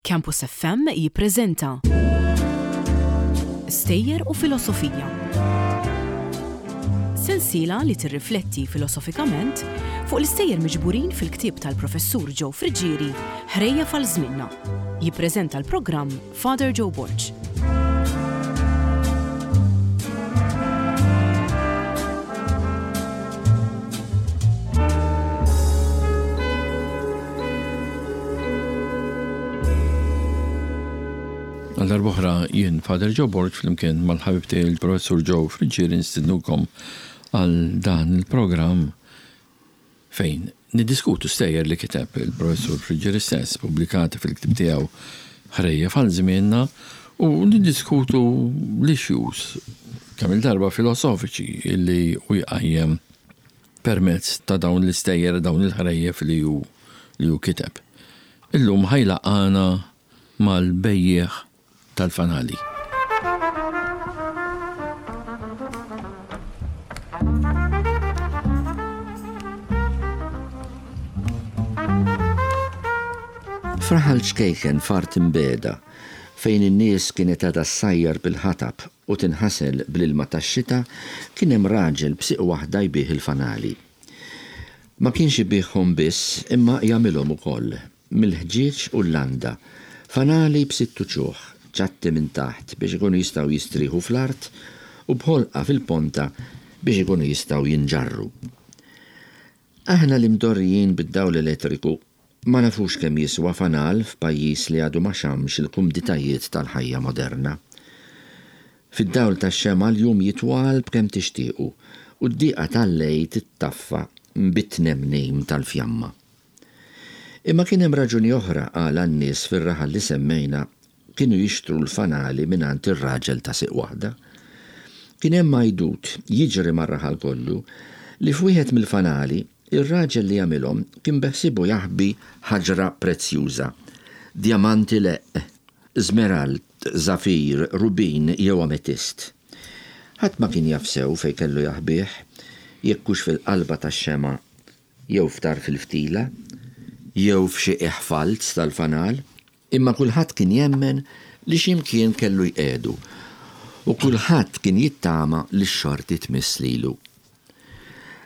Campus FM jippreżenta Stejjer u Filosofija. Sensiela li tirrifletti filosofikament fuq l-istejjer miġburin fil-ktieb tal-Professur Joe Friggieri Ħrejjef għal Żmienna. Jippreżenta l-programm Father Joe Borg. Għal darb'oħra jien Father Joe Borg flimkien mal-ħabib tiegħi l-Professur Joe Friggieri nistidnukom għal dan il-programm fejn niddiskutu stejjer li kiteb il-Professur Friggieri stess pubblikati fil-ktieb tiegħu Ħrejjef għal Żmienna u niddiskutu l-issues kemm-il darba filosofiċi li hu jqajjem permezz ta' dawn l-istejjer, dawn il-ħrejjef li hu li hu kiteb. Illum ħa jlaqqagħna mal-bejjiegħ tal-fanali. F'raħal ċkejken f'art imbiegħda, fejn in-nies kienet għadha ssajjar bil-ħatab u tinħasel bl-ilma tax-xita, kien hemm raġel b'sieq waħda jbigħ il-fanali. Ma kienx ibigħhom biss imma jagħmilhom ukoll, mill-ħġieġ u l-landa, fanali b'sitt uċuħ, ċatti minn taħt biex ikunu jistgħu jistrieħu fl-art u b'ħolqa fil-ponta biex ikunu jistgħu jinġarru. Aħna li mdorrijin bid-dawl elettriku ma nafux kemm jiswa fanal f'pajjiż li għadu ma xammx il-kumditajiet tal-ħajja moderna. Fid-dawl tax-xemgħa l-jum jitwal b'kemm tixtiequ u d-diqa tal-lejl tittaffa bit-tnemnim tal-fjamma. Imma kien hemm raġuni oħra għala n-nies fir-raħal li semmejna kienu jixtru l-fanali mingħand ir-raġel ta' sieq waħda. Kien hemm għajdut jiġri mar-raħal kollu li f'wieħed mill-fanali ir-raġel li għamilhom kien beħsiebu jaħbi ħaġra prezzjuża, djamanti leqq, żmerald, żafir, rubin jew ametist. Ħadd ma kien jaf sew fejn kellu jaħbih, jekk hux fil-qalba tax-xemgħa jew f'tarf il-ftila, jew f'xi qiegħ falz tal-fanal. Imma kulħadd kien jemmen li xi mkien kellu jqiegħdu, u kulħadd kien jittama li x-xorti tmiss lilu.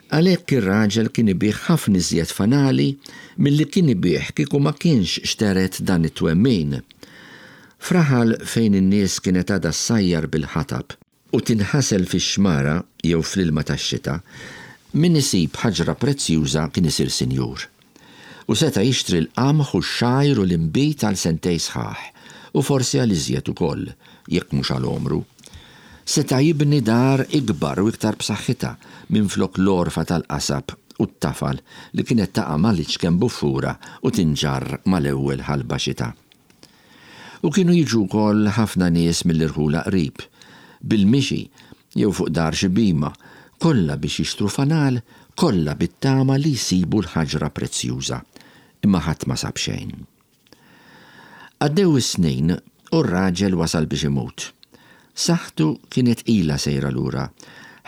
Għalhekk ir-raġel kien ibigħ ħafna iżjed fanali milli kien ibigħ kieku ma kienx xtered dan it-twemmin. F'raħal fejn in-nies kienet għadha ssajjar bil-ħatab, u tinħasel fix-xmara jew fl-ilma tax-xita, min isib ħaġra prezzjuża kien isir sinjur. U seta' jixtri l-qamħ u x-xgħir u l-inbid għal sentej sħaħ, u forsi għal iżjed ukoll, jekk mhux għal għomru. Seta' jibni dar ikbar u iktar b'saħħitha minflok l-għorfa tal-qasab u t-tafal li kienet taqa' mal-iċken buffura u tinġarr mal-ewwel ħalba xita. U kienu jiġu wkoll ħafna nies mill-irħula qrib, bil-mixi jew fuq dar xi bhima, kollha biex jixtru fanal, kollha bit-tama li jsibu l-ħaġra prezzjuża. Imma ħadd ma sab xejn. Għaddew is-snin u r-raġel wasal biex imut. Saħħtu kienet ilha sejra lura,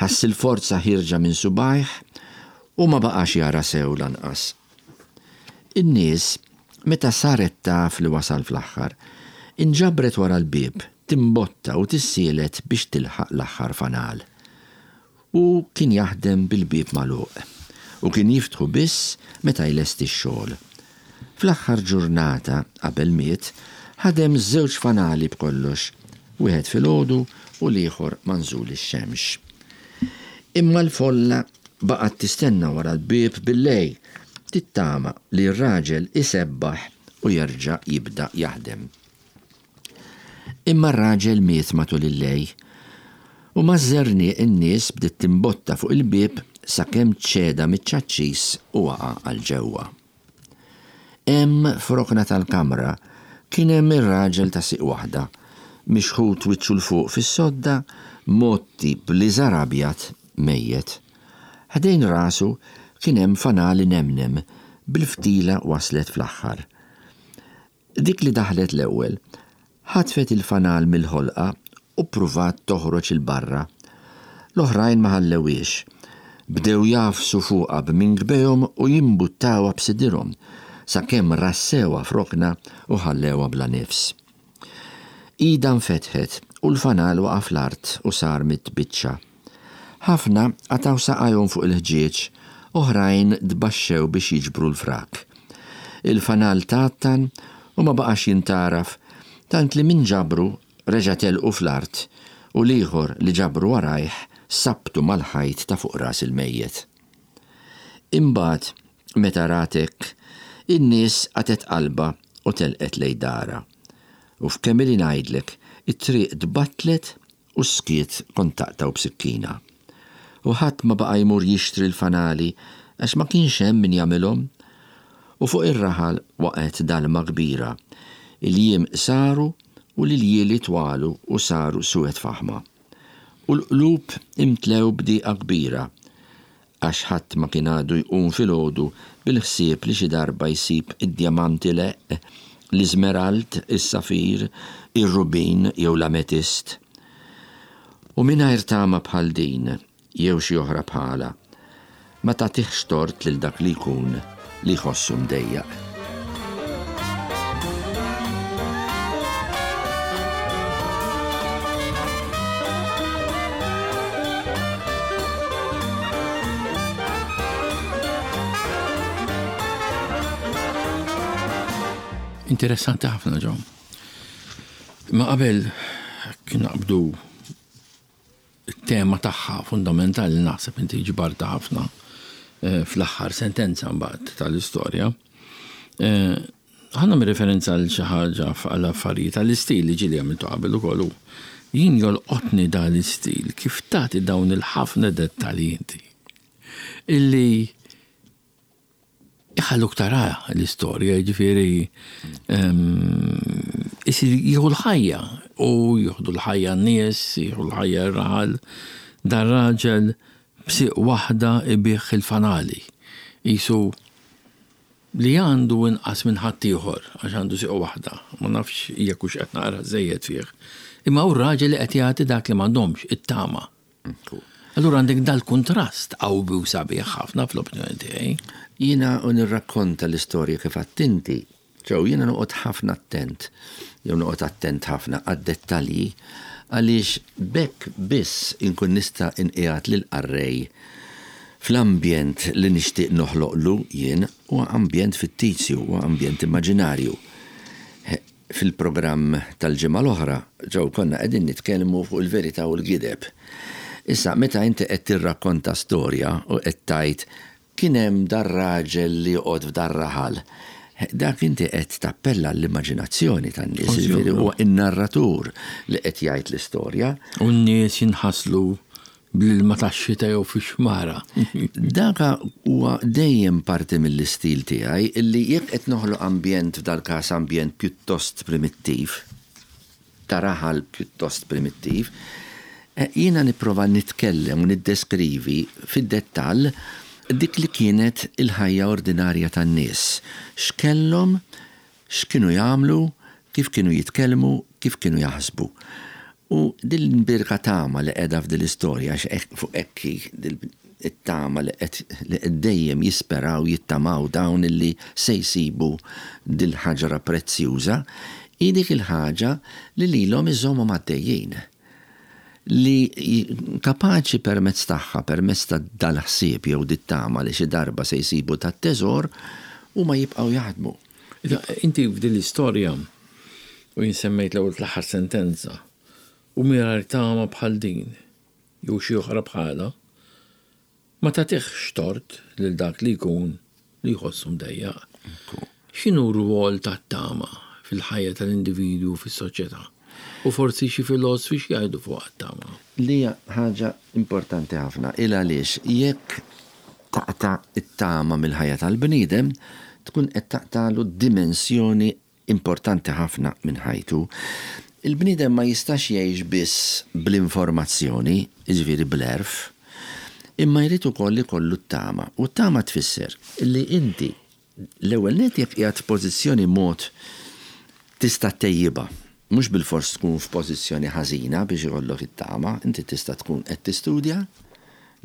ħass il-forza ħierġa minn subgħajh u ma baqax jara sew lanqas. In-nies, meta saret taf li wasal fl-aħħar, inġabret wara l-bieb, timbotta u tissielet biex tilħaq l-aħħar fanal. Hu kien jaħdem bil-bieb magħluq, u kien jiftħu biss meta jlesti x-xogħol. Fl-aħħar ġurnata qabel miet, ħadem żewġ fanali b'kollox, wieħed filgħodu u l-ieħor ma' nżul ix-xemx. Imma l-folla baqgħet tistenna wara l-bieb billejl, tittama li r-raġel isebbaħ u jerġa' jibda jaħdem. Imma r-raġel miet matul il-lejl, u maż-żerniq in-nies bdiet timbotta fuq il-bieb sakemm ċeda miċ-ċaċċis u waqa' għal ġewwa. Hemm f'rokna tal-kamra kien hemm ir-raġel ta' sieq waħda, mixħut wiċċu 'l fuq fis-sodda, mgħotti b'liżar abjad, mejjet. Ħdejn rasu kien hemm fanal inemnem, bil-ftila waslet fl-aħħar. Dik li daħlet l-ewwel, ħatfet il-fanal mill-ħolqa u ppruvat toħroġ 'il barra. L-oħrajn ma ħallewhiex. Bdew jagħfsu fuqha b'minkbejhom u jimbuttawha b'sidirhom, sakemm rassewha f'rokna u ħallewha bla nifs. Idha nfetħet u l-fanal waqa' fl-art u sar mitbiċċa. Ħafna qatgħu saqajhom fuq il-ħġieġ, oħrajn tbaxxew biex jiġbru l-frak. Il-fanal tgħattan u ma baqax jintgħaraf tant li min ġabru reġa' telqu fl-art u l-ieħor li ġabru warajh sabbtu mal-ħajt ta' fuq ras il-mejjet. Imbagħad, meta rat hekk, in-nies qatgħet qalbha u telqet lejn darha. U f'kemm ili ngħidlek, it-triq tbattlet u s-skiet kont taqtgħu b'sikkina. U ħadd ma baqa' jmur jixtri l-fanali għax ma kienx hemm min jagħmilhom. U fuq ir-raħal waqgħet dalma kbira. Il-jiem qsaru u l-iljieli twalu u saru suwed faħma. U l-qlub imtlew b'dieqa kbira għax ħadd ma kien għadu jqum filgħodu bil-ħsieb li xi darba jsib id-djamant ileqq, l-iżmerald, is-safir, ir-rubin jew l-ametist. U mingħajr tama bħal din, jew xi oħra bħalha, ma tagħtihx tort lil dak li jkun li jħossu mdejjaq. Interessanti ħafna ġo. Ma qabel kien naqbdu It-tema tagħha fundamentali naħseb inti ġbartha ħafna fl-aħħar sentenza mbagħad tal-istorja. Ħa nagħmel referenza għal xi ħaġa għal affarijiet għall-istil li ġieli għamiltu qabel ukoll u jien jolqotni dan l-istil kif tagħti dawn il-ħafna dettalji inti illi Iħalluk tara l-istorja, jiġifieri isir jieħu l-ħajja u jieħdu l-ħajja n-nies, jieħu l-ħajja r-raħal. Dan raġel b'sieq waħda ibigħ il-fanali. Qisu li għandu inqas minn ħaddieħor għax għandu sieq waħda. Ma nafx jekk hux qed naqra żejjed fih. Imma hu r-raġel li qed jagħti dak li m'għandhomx, it-tama. Allura għandek dal-kuntrast qawwi u sabiħ ħafna fl-opinjoni tiegħi. Jiena u nirrakkonta l-istorja kif għedt inti, Joe, jiena noqgħod ħafna attent, jew noqgħod attent ħafna għad-dettalji għaliex b'hekk biss inkun nista' inqiegħed lill-qarrej fl-ambjent li nixtieq noħloqlu jien, huwa ambjent fittizju, huwa ambjent immaġinarju. Fil-programm tal-ġimgħa l-oħra, Joe, konna qegħdin nitkellmu fuq il-verità u l-gideb. Issa, meta inti qed tirrakkonta storja u qed tgħid kien hemm dar-raġel li joqgħod f'dar-raħal, dak inti qed tappella għall-immaġinazzjoni tan-nies, jiġifieri huwa n-narratur li qed jgħid l-istorja. U n-nies jinħaslu Bl-ilma tax-xita jew fix-xmara. Daka huwa dejjem parti mill-istil tiegħi illi jekk qed noħloq ambjent f'dal-każ ambjent pjuttost primittiv, ta' raħal pjuttost primittiv, jiena nipprova nitkellem u niddeskrivi fid-dettall dik li kienet il-ħajja ordinarja tan-nies. X'kellhom, X'kienu jagħmlu, kif kienu jitkellmu, kif kienu jaħsbu. U din l-imbierka tama li qiegħda f'din l-istorja, għax hekk fuq hekk hi it-tama li qed li qed dejjem jisperaw, jittamaw dawn illi se jsibu dil-ħaġra prezzjuża, hi dik il-ħaġa li lilhom iżommhom għaddejjin. Li kapaċi permezz tagħha, permezz ta' dal-ħsieb jew dit-tama li xi darba se jsibu dat-teżor, huma jibqgħu jaħdmu. Inti f'din l-istorja, u jien semmejt l-ewwel fl-aħħar sentenza, u mingħajr tama bħal din, jew xi oħra bħalha, ma tagħtihx tort lil dak li jkun li jħossu mdejjaq. X'inhu r-rwol tat-tama fil-ħajja tal-individwu u fis-soċjetà? U forsi xi filosfi x'jgħidu fuqha t-tama? Li hija ħaġa importanti ħafna, il għaliex jekk taqta' t-tama mill-ħajja tal-bniedem, tkun qed taqtagħlu dimensjoni importanti ħafna minn ħajtu. Il-bniedem ma jistax jgħix biss bl-informazzjoni, jiġifieri bl-għerf, imma jrid ukoll ikollu t-tama. U t-tama tfisser li inti L-ewwel nett jekk qiegħed f'pożizzjoni mod tista' ttejjibha. Mhux bilfors tkun f'pożizzjoni ħażina biex ikollok it-tama, inti tista' tkun qed tistudja,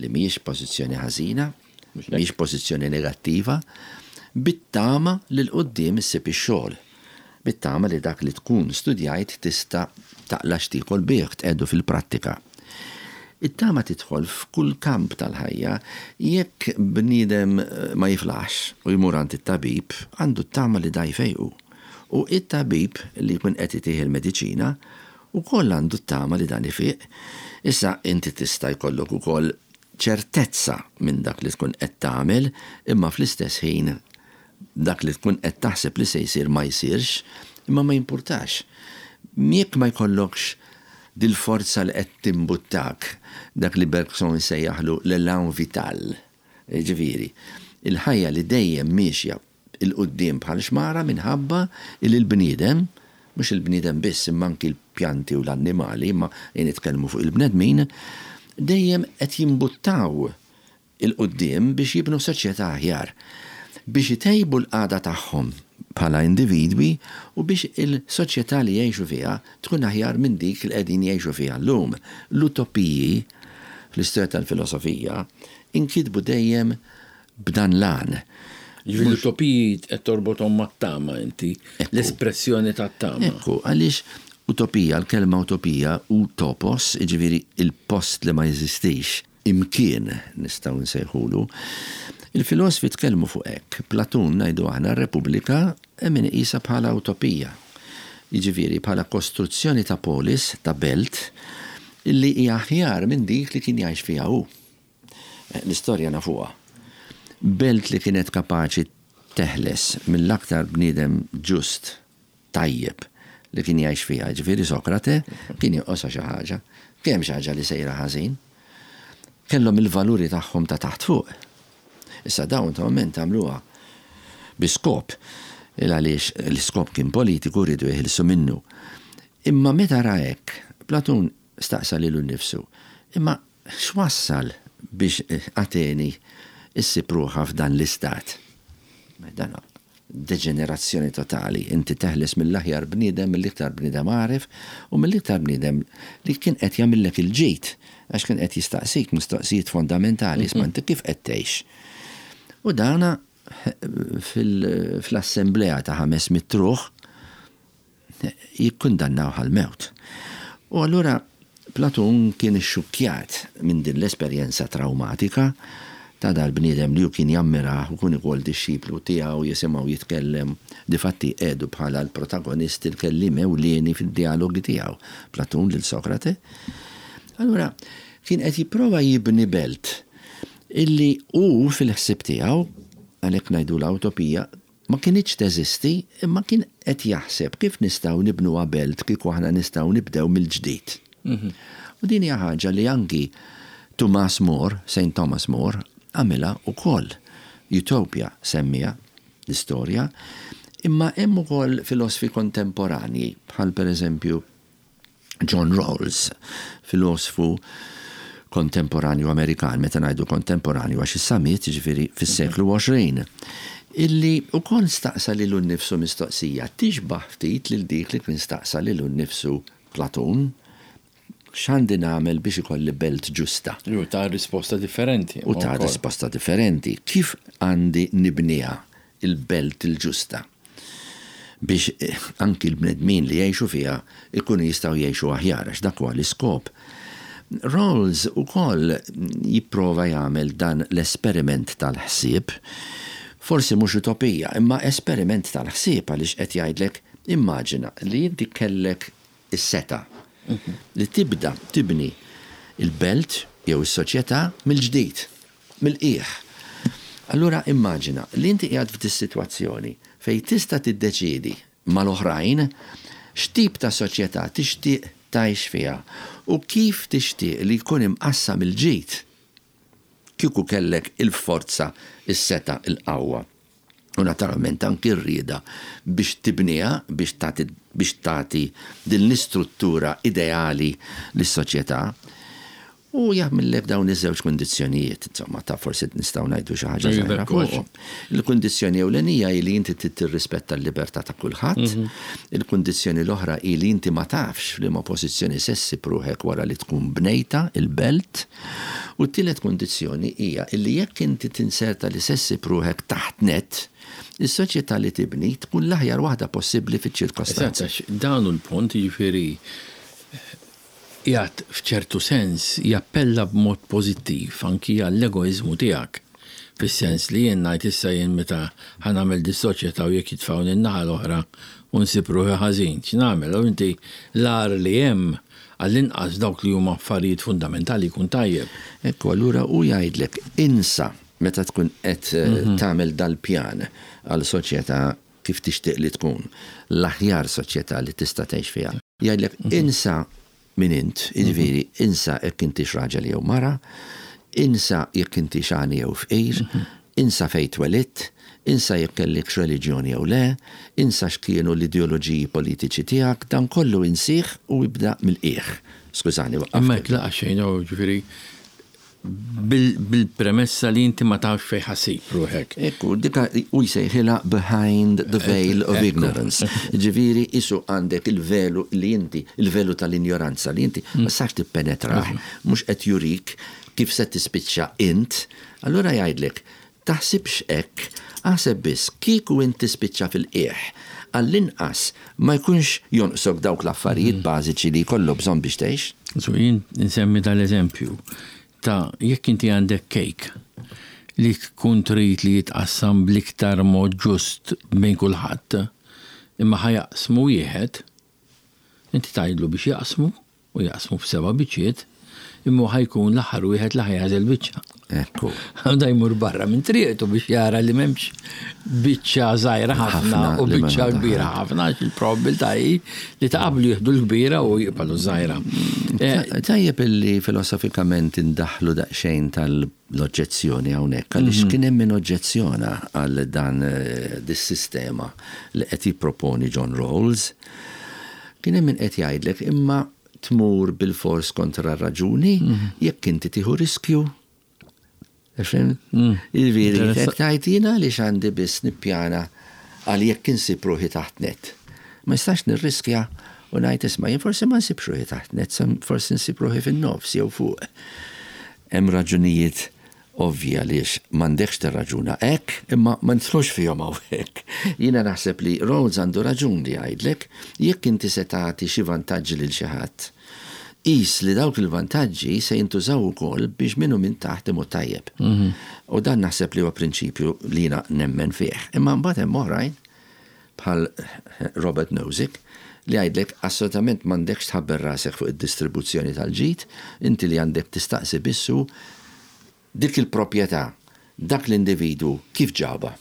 li mhijiex pożizzjoni ħażina, mhijiex pożizzjoni negattiva. bit-tama li 'l quddiem issib ix-xogħol. Bit-tama li dak li tkun studjajt tista' taqla' x'tiekol bih, tqiegħdu fil-prattika. It-tama tidħol f'kull kamp tal-ħajja. Jekk bniedem ma jiflaħx u jmur għand it-tabib, għandu t-tama li da jfejqu. U it-tabib li jkun qed itih il-mediċina wkoll għandu t-tama li dan ifiq. Issa inti tista' jkollok ukoll ċertezza minn dak li tkun qed tagħmel imma fl-istess ħin dak li tkun qed taħseb li se jsir ma jsirx, imma ma jimpurtax. Jekk ma jkollokx dil-forza li qed timbuttak, dak li Bergson isejjaħlu l-élan vital, jiġifieri, il-ħajja li dejjem miexja 'l quddiem bħal xmara minħabba li l-bniedem, mhux il-bniedem biss imma anki l-pjanti u l-annimali, imma nitkellmu fuq il-bnedmin, dejjem qed jimbuttaw 'il quddiem biex jibnu soċjetà aħjar, biex itejbu l-qagħda tagħhom bħala individwi u biex il-soċjetà li jgħixu fiha tkun aħjar minn dik li qegħdin jgħixu fiha llum. L-utopiji fl-istorja tal-filosofija inkitbu dejjem b'dan l-għan. Jiġifieri l-utopiji qed torbothom mat-tama inti, l-espressjoni tat-tama. Ekku, għaliex utopija, l-kelma utopija, utopos, jiġifieri il-post li ma jeżistix, imkien nistgħu nsejħulu. Il-filosfi tkellmu fuq hekk. Platun, ngħidu aħna, r-Repubblika hemm min iqisha bħala utopija. Jiġifieri bħala kostruzzjoni ta' polis, ta' belt, illi hija aħjar minn dik li kien jgħix fiha hu. L-istorja nafuha. Belt li kienet kapaċi teħles mill-aktar bniedem ġust tajjeb li kien jgħix fiha, jiġifieri Sokrate, kien jonqosha xi ħaġa. Kien hemm xi ħaġa li sejra ħażin. Kellhom il-valuri tagħhom ta' taħt fuq. Issa dawn naturalment għamluha bi skop, il għaliex l-iskop kien politiku riedu jeħilsu minnu. Imma meta ra hekk, Platun staqsa lilu nnifsu, imma x'wassal biex Ateni ssib ruħha f'dan l-istat? Dan deġenerazzjoni totali. Inti teħles mill-aħjar bniedem, mill-iktar bniedem għaref u mill-iktar bniedem li kien qed jagħmillek il-ġid għax kien qed jistaqsik mistoqsijiet fondamentali, isma' inti kif qed tgħix. U dana fl-assemblea ta' 500 ruħ jikkundannawh għall-mewt. U allura Platun kien ixxukkjat minn din l-esperjenza trawmatika ta' dal-bniedem li hu kien jammirah u kien ukoll dixxiplu tiegħu, jisimgħu jitkellem, difatti qiegħdu bħala l-protagonist, il-kelliem ewlieni fid-djalogi tiegħu, Platun lil Sokrate. Allura kien qed jipprova jibni belt illi hu fil-ħsieb tiegħu, għalhekk ngħidulha utopija, Ma kinitx teżisti, imma kien qed jaħseb kif nistgħu nibnuha belt kieku aħna nistgħu nibdew mill-ġdid. U din hija ħaġa li anki Tumas More, Saint Thomas More, għamilha wkoll. Utopia semmiha l-istorja. Imma hemm ukoll filosfi kontemporanji bħal pereżempju John Rawls, filosfu kontemporanju Amerikan, meta ngħidu kontemporanju għax issa miet, jiġifieri fis-seklu 20, illi wkoll staqsa lilu nnifsu mistoqsija tixbah ftit lil dik li kien staqsa lilu nnifsu Platun, x'għandi nagħmel biex ikolli belt ġusta? U ta risposta differenti. U ta risposta differenti. Kif għandi nibniha il-belt il-ġusta? biex anki l-bnedmin li jgħixu fiha jkunu jistgħu jgħixu aħjar għax dak huwa l-iskop. Rawls ukoll jipprova jagħmel dan l-esperiment tal-ħsieb, forsi mhux utopija, imma esperiment tal-ħsieb għaliex qed jgħidlek immaġina li inti kellek is-setgħa li tibda tibni l-belt jew is-soċjetà mill-ġdid. mill-qiegħ. Allura immaġina li inti qiegħed f'dis-sitwazzjoni fejn tista' tiddeċiedi mal-oħrajn x'tip ta' soċjetà tixtieq tgħix fiha u kif tixtieq li jkun imqassam il-ġid kieku kellek il-forza, is-setgħa, il-qawwa u naturalment anki r-rieda biex tibniha, biex tagħti biex tagħti din l-istruttura ideali lis-soċjetà. U jagħmillek dawn iż-żewġ kundizzjonijiet, insomma, ta' forsi nistgħu ngħidu xi ħaġa żgħira fuqhom. Il-kundizzjoni ewlenija hi li inti trid tirrispetta l-libertà ta' kulħadd. Il-kundizzjoni l-oħra hi li inti ma tafx f'liema pożizzjoni se ssib ruħek wara li tkun bnejtha il-belt. U t-tielet kundizzjoni hija li jekk inti tinserta li se ssib ruħek taħt nett, is-soċjetà li tibni tkun l-aħjar waħda possibbli fiċ-ċirkostanzi. Eżatt, għax dan hu l-punt, jiġifieri qiegħed f'ċertu sens jappella b'mod pożittiv anki għall-egoiżmu tiegħek. Fis-sens li jien ngħid issa jien meta ħa nagħmel dis-soċjetà u jekk jitfgħuni n-naħa l-oħra u nsib ruħi ħażin, x'nagħmel? U inti l-agħar li hemm għall-inqas dawk li huma affarijiet fundamentali jkun tajjeb. Ekku, allura hu jgħidlek insa meta tkun qed tagħmel dal-pjan għal soċjetà kif tixtieq li tkun, l-aħjar soċjetà li tista' tgħix fiha. Jgħidlek insa min int, jiġifieri insa jekk intix raġel jew mara, insa jekk intix għani jew fqir, insa fejn twelidt, insa jekk kellikx reliġjon jew le, insa x'kienu l-ideoloġiji politiċi tiegħek, dan kollu insih u ibda mill-qiegħ. Skużani, waqqaftek. Imma hekk laqas xejn, jiġifieri Bil-premessa li inti ma tafx fejn ħa ssib ruħek. Ekku, dika hu jsejħilha behind the veil of ignorance. Ġifieri qisu għandek il-velu li inti, il-velu tal-injoranza li inti ma tistax tippenetrah, mhux qed jurik kif se tispiċċa int. Allura jgħidlek, Taħsibx hekk, aħseb biss kieku int tispiċċa fil-qiegħ, għall-inqas ma jkunx jonqsok dawk l-affarijiet bażiċi li jkollok bżonn biex tgħix. So jien insemmi dal-eżempju ta' jekk inti għandek kejk li tkun trid li jitqassam bl-iktar mod ġust bejn kulħadd, imma ħa jaqsmu wieħed, inti tgħidlu biex jaqsmu u jaqsmu f'seba' biċċiet, imma hu ħa jkun l-aħħar wieħed li ħa jagħżel biċċa. Ekku. Da jmur barra minn triqtu biex jara li m'hemmx biċċa żgħira ħafna u biċċa kbira ħafna għax il-probabilità hi li ta' qablu jieħdu l-kbira u jqbalu żgħira. Eh, tajjeb illi filosofikament indaħlu daqsxejn tal-oġġezzjoni hawnhekk għaliex mhm. kien hemm min oġġezzjona għal dan eh, dis-sistema li qed jipproponi John Rawls. Kien hemm min qed jgħidlek imma tmur bilfors kontra r-raġuni jekk inti tieħu riskju. Fhimt? Jiġifieri qed tgħid jien għaliex għandi biss nippjana għal jekk insib ruħi taħt nett. Ma nistax nirriskja u ngħid isma' jien forsi ma nsibx ruħi taħt nett, forsi nsib ruħi fin-nofs jew fuq. Hemm raġunijiet Ovvji għaliex m'għandekx tirraġuna hekk, imma ma nidħlux fihom hawnhekk. Jiena naħseb li Rawls għandu raġun li jgħidlek, jekk inti se tagħti xi vantaġġi lil xi ħadd, qis li dawk il-vantaġġi se jintużaw ukoll biex min hu minn taħt imut tajjeb. U dan naħseb li huwa prinċipju li jiena nemmen fih. Imma mbagħad hemm oħrajn, bħal Robert Nozick, li jgħidlek assolutament m'għandekx tħabbel rasek fuq id-distribuzzjoni tal-ġid, inti li għandek tistaqsi biss hu dik il-proprjetà, dak l-individwu kif ġabha?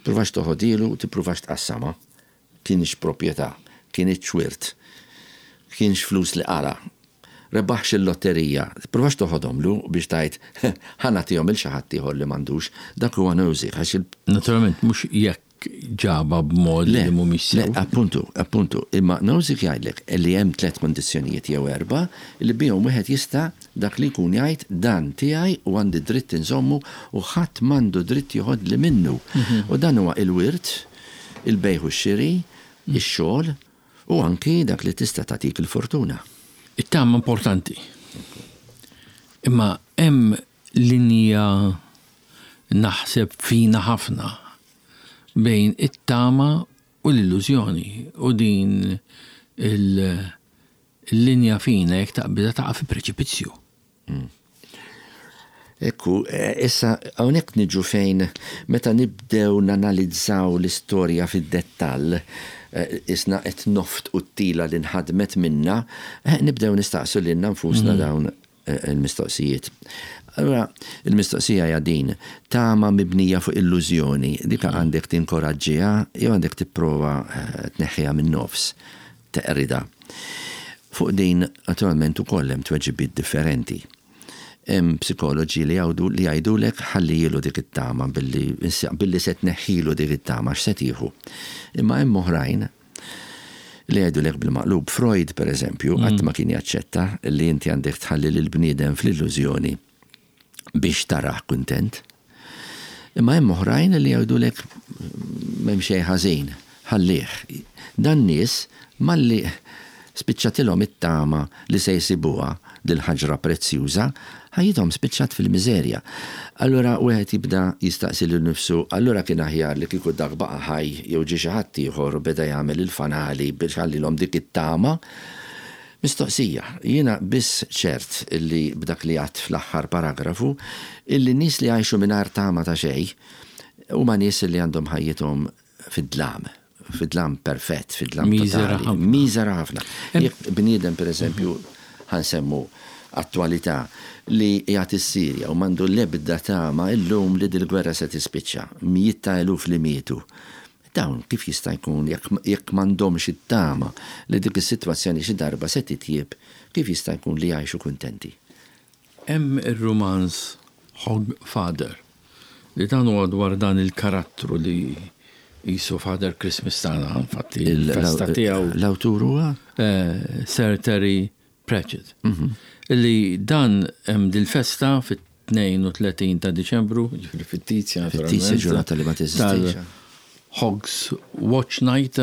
Tippruvax toħodhielu u tippruvax tqassamha. Kienx proprjetà, kinitx wirt, kienx flus li qala', rebaħx il-lotterija, tippruvax toħodhomlu biex tgħid, ħa nagħtihom 'il xi ħadd ieħor li m'għandux. Dak huwa Nozick għax il. Naturalment mhux jekk ġabha b'mod li mhumiex sew. Le, appuntu, appuntu. Imma Nozick jgħidlek li hemm tlett kundizzjonijiet jew erbgħa li bihom wieħed jista' dak li jkun jgħid dan tiegħi u għandi dritt inżommu u ħadd m'għandu dritt joħodli minnu. U dan huwa il-wirt, il-bejgħ u x-xiri, ix-xogħol, U anki dak li tista' tagħtik il-fortuna. It-tama importanti. Imma hemm linja naħseb fina ħafna bejn it-tama u l-illużjoni u din il-linja fina jekk taqbiżha taqa' fi preċipizzju. Ekku, issa hawnhekk niġu fejn meta nibdew nanalizzaw l-istorja fid-dettall, isna qed noftqu t-tila li nħadmet minna, nibdew nistaqsu lilna nfusna dawn il-mistoqsijiet. Allura, il-mistoqsija hija din, tama mibnija fuq illużjoni, dik għandek tinkoraġġiha jew għandek tipprova tneħħiha min-nofs, teqridha. Fuq din, naturalment, ukoll hemm tweġibiet differenti. Hemm psikoloġi li jgħidu li jgħidulek ħallihielu dik it-tama billi billi se tneħħilu dik it-tama x'se tieħu. Imma hemm oħrajn li jgħidulek bil-maqlub. Freud, per eżempju, qatt ma kien jaċċetta li inti għandek tħalli lill-bniedem fl-illużjoni biex tarah kuntent. Imma hemm oħrajn li jgħidulek m'hemm xejn ħażin, ħallih. Dan nies malli spiċċatilhom it-tama li se jsibuha dil-ħaġra prezzjuża, ħajjithom spiċċat fil-miżerja. Allura wieħed jibda jistaqsi lilu nnifsu, allura kien aħjar li kieku dak baqa' ħaj jew ġie xi ħadd ieħor u beda jagħmel il-fanali biex ħallilhom dik it-tama? Mistoqsija. Jiena biss ċert illi b'dak li għedt fl-aħħar paragrafu, illi nies li jgħixu mingħajr tama ta' xejn, huma nies li għandhom ħajjithom fid-dlam, fid-dlam perfett, fid-dlam totali. Miżera ħafna. Jekk bniedem pereżempju, ħa nsemmu attwalità, li qiegħed is-Sirja u m'għandu l-ebda tama illum li dil-gwerra se tispiċċa, mijiet ta' eluf li mietu, dawn kif jista' jkun jekk m'għandhomx it-tama li dik is-sitwazzjoni xi darba se titjieb, kif jista' jkun li jgħixu kuntenti? Hemm ir-rumanz Hog Father, li dan huwa dwar dan il-karattru li qisu Father Christmas tagħna, infatti il-festa tiegħu. L-awtur huwa? Sir Terry Pratchett. Illi dan hemm dil-festa fit-32 ta' Diċembru, jiġifieri fittizja naturalment. Fittizja ġurnata li ma teżistix. Hogs Watch Night,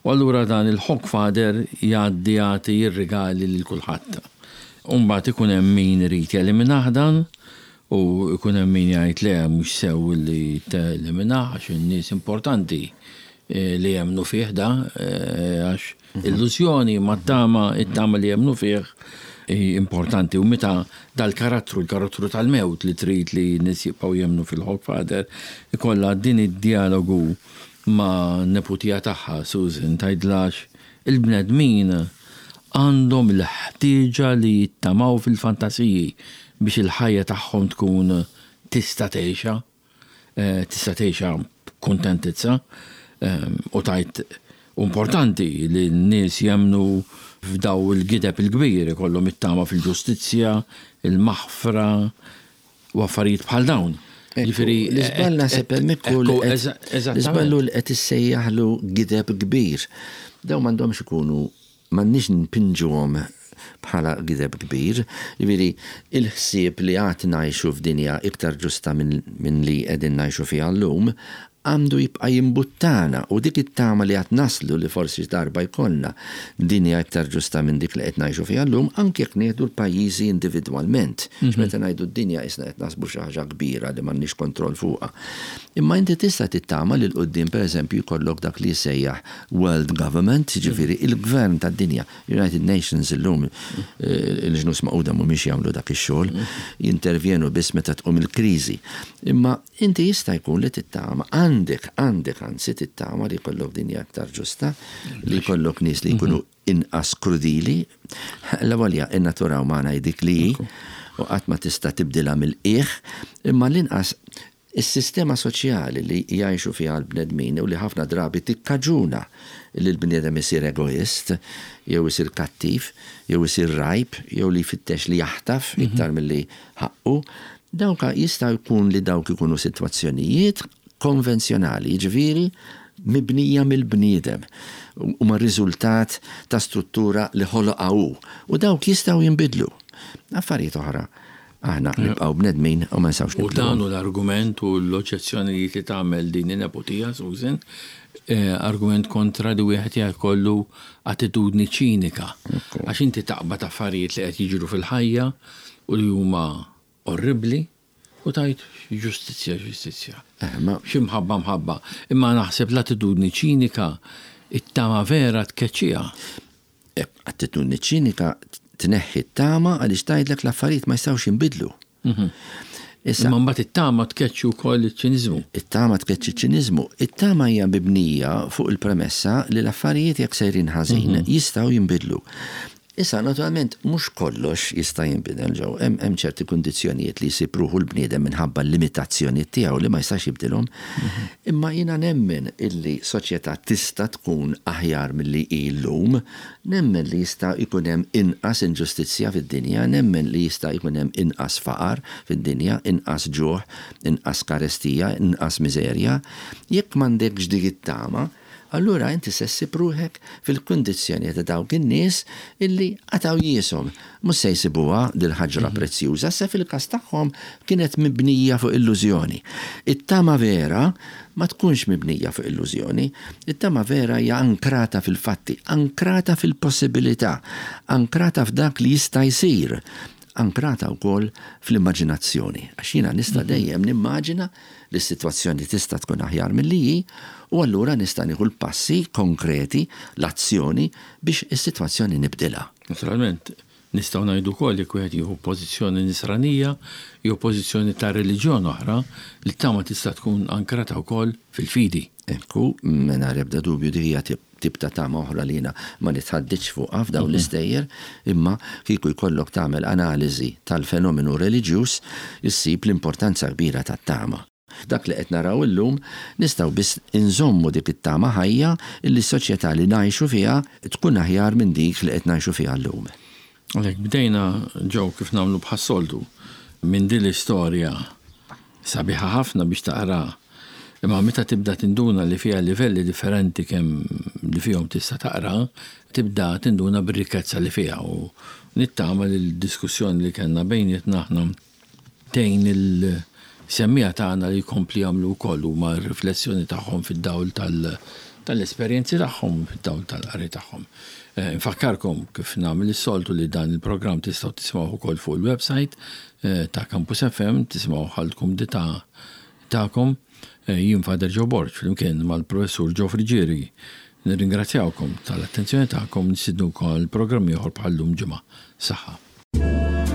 u allura dan il-Hogfather jgħaddi jagħti r-rigali lil kulħadd. U mbagħad ikun hemm min irid jeliminah dan u jkun hemm min jgħid le mhux sew li teliminah għax in-nies importanti li jemmnu fih da għax illużjoni ma t-tama, it-tama li jemmnu fih hi importanti u meta dal-karattru, il-karattru tal-mewt li trid li n-nies jibqgħu jemmnu fil-Hogfather, ikollha din id-djalogu ma' neputija tagħha Susan tgħidilha għax il-bnedmin għandhom il-ħtieġa li jittamaw fil-fantasiji biex il-ħajja tagħhom tkun tista' tgħixha. Tista' tgħixha b'kuntentizza u tgħid hu importanti li n-nies jemmnu f'daw il-gideb il-kbir, ikollhom it-tama fil-ġustizzja, il-maħfra u affarijiet bħal dawn. Jiġifieri l-iżball naħseb hemmhekk hu li l-iżball hu li qed issejjaħlu gideb kbir. Dawn m'għandhomx ikunu M'għandniex npinġuhom bħala gideb kbir. Jiġifieri, il-ħsieb li għad ngħixu f'dinja iktar ġusta minn li qegħdin ngħixu fiha llum għandu jibqa' jimbuttana u dik it-tama li għad naslu li forsi xi darba jkollna dinja iktar ġusta minn dik li qed ngħixu fiha llum anke jekk nieħdu l-pajjiżi individwalment. Għax meta ngħidu d-dinja qisna qed naħsbu xi ħaġa kbira li m'għandniex kontroll fuqha. Imma inti tista' tittama li 'l quddiem pereżempju jkollok dak li jissejjaħ World Government, jiġifieri il-gvern tad-dinja. United Nations illum, il-Ġnus Magħquda mhumiex jagħmlu dak ix-xogħol, jintervjenu biss meta tqum il-kriżi. Imma inti jista' jkun li tittama, għandek, għandek anzi tittama li jkollok dinja aktar ġusta, li jkollok nies li jkunu inqas krudili. L-avolja in-natura umana hi dik li hi, u qatt ma tista' tibdilha mill-qiegħ, imma l-inqas Is-sistema soċjali li jgħixu fiha l-bnedmin u li ħafna drabi tikkaġuna li l-bniedem isir egoist, jew isir kattiv, jew isir rgħib, jew li jfittex li jaħtaf iktar milli ħaqqu, dawk jista' jkun li dawk ikunu sitwazzjonijiet konvenzjonali, jiġifieri mibnija mill-bniedem, huma riżultat ta' struttura li ħoloqha hu, u dawk jistgħu jinbidlu. Affarijiet oħra Aħna nibqgħu bnedmin u ma nistgħux nibdluhom. U dan hu l-argument u l-oġġezzjonijiet li tagħmel din in-neputija, Susan, argument kontra li wieħed jkollu attitudni ċinika. Għax inti taqbad affarijiet li qed jiġru fil-ħajja u li huma orribbli u tgħid ġustizzja, ġustizzja. Xi mħabba, mħabba. Imma naħseb l-attitudni ċinika it-tama vera tkeċċiha. Attitudni ċinika tneħħi t-tama għaliex tgħidlek l-affarijiet ma jistgħux jinbidlu. Mhm. Issa, Imma mbagħad it-tama tkeċċi wkoll iċ-ċiniżmu. It-tama tkeċċi ċ-ċiniżmu. It-tama hija mibnija fuq il-premessa li l-affarijiet jekk sejrin ħażin mhm. jistgħu jinbidlu. Issa, naturalment, mhux kollox jista' jinbidel ġew. Hemm ċerti kundizzjonijiet li jsib ruħu l-bniedem minħabba l-limitazzjonijiet tiegħu li ma jistax jibdilhom. Mhm. Imma jiena nemmen illi soċjetà tista' tkun aħjar milli hi llum, nemmen li jista' jkun hemm inqas inġustizzja fid-dinja, nemmen li jista' jkun hemm inqas faqar fid-dinja, inqas ġuħ, inqas karestija, inqas miżerja. Jekk m'għandekx dik it-tama, Allura inti se ssib ruħek fil-kundizzjoni ta' dawk in-nies illi qatgħu jieshom. Mhux se jsibuha dil-ħaġra prezzjuża, issa fil-każ tagħhom kienet mibnija fuq illużjoni. It-tama vera ma tkunx mibnija fuq illużjoni. It-tama vera hija ankrata fil-fatti, ankrata fil-possibilità, ankrata f'dak li jista' jsir, ankrata wkoll fl-immaġinazzjoni. Għax jiena nista' dejjem nimmaġina li s-sitwazzjoni tista' tkun aħjar milli hi u allura nista' nieħu l-passi konkreti, l-azzjoni biex is-sitwazzjoni nibdilha. Naturalment, nistgħu ngħidu wkoll jekk wieħed jieħu pożizzjoni Nisranija jew pożizzjoni ta' reliġjon oħra, li t-tama tista' tkun ankrata wkoll fil-fidi. Ekku, mingħajr ebda dubju dik hija tip ta' tama oħra li jiena ma nitħadditx fuqha f'dawn l-istejjer, imma kieku jkollok tagħmel analiżi tal-fenomenu reliġjuż issib l-importanza kbira tat-tama. F'dak li qed naraw illum nistgħu biss inżommu dik it-tama ħajja illi s-soċjetà li ngħixu fiha tkun aħjar minn dik li qed ngħixu fiha llum. Għalhekk bdejna, Joe, kif nagħmlu bħas-soltu, minn din l-istorja sabiħa ħafna biex taqraha, imma meta tibda tinduna li fiha livelli differenti kemm li fihom tista' taqra, tibda tinduna bir-rikkezza li fiha u nittama li l-diskussjoni li kellna bejnietna aħna tgħin il-semmiegħa tagħna li jkompli jagħmlu wkoll huma r-riflessjoni tagħhom fid-dawl tal-esperjenzi tagħhom, fid-dawl tal-qari tagħhom. Infakkarkom kif nagħmel is-soltu li dan il-programm tistgħu tisimgħuh ukoll fuq il-website ta' Campus FM, tisimgħuh għall-kumdità tagħkom. Jien Father Joe Borg flimkien mal-Professur Joe Friggieri nirringrazzjawkom tal-attenzjoni tagħkom, nistidnukom għal programm ieħor bħal-lum ġimgħa. Saħħa.